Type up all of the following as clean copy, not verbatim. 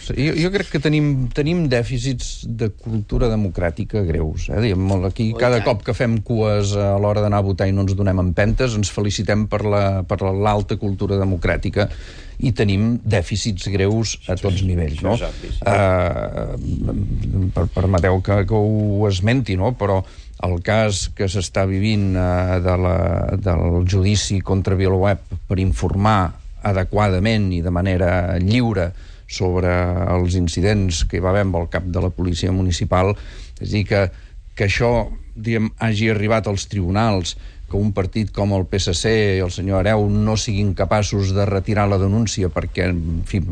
Jo crec que tenim dèficits de cultura democràtica greus. Aquí, cada cop que fem cues a l'hora d'anar a votar i no ens donem empentes, ens felicitem per l'alta cultura democràtica i tenim dèficits greus a tots nivells. No? Permeteu que ho esmenti, no? Però el cas que s'està vivint del judici contra VilaWeb per informar adequadament i de manera lliure sobre els incidents que hi va haver amb el cap de la policia municipal, és a dir, que això hagi arribat als tribunals, que un partit com el PSC i el senyor Hereu no siguin capaços de retirar la denúncia perquè, en fi,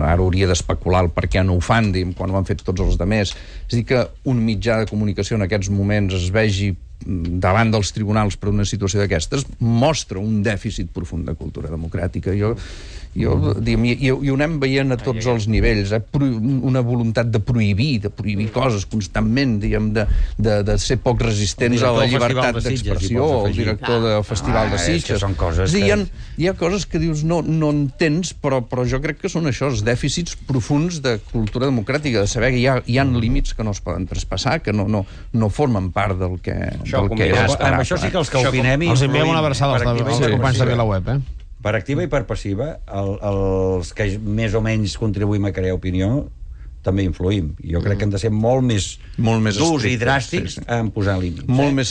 ara hauria d'especular el per què no ho fan, quan ho han fet tots els altres. És a dir, que un mitjà de comunicació en aquests moments es vegi davant dels tribunals per una situació d'aquestes mostra un dèficit profund de cultura democràtica. I ho anem veient a tots els nivells, una voluntat de prohibir coses constantment, de ser poc resistents a la llibertat d'expressió, el director del Festival de Sitges. Hi ha coses que dius no entens, però jo crec que són això, els dèficits profunds de cultura democràtica, de saber que hi ha límits que no es poden traspassar, que no formen part del que és esperable. Amb això sí que els que opinem... Els enviem una abraçada als companys de VilaWeb, Per activa i per passiva, els que més o menys contribuïm a crear opinió també influïm. Jo crec que hem de ser molt més durs i dràstics en posar límits. Molt més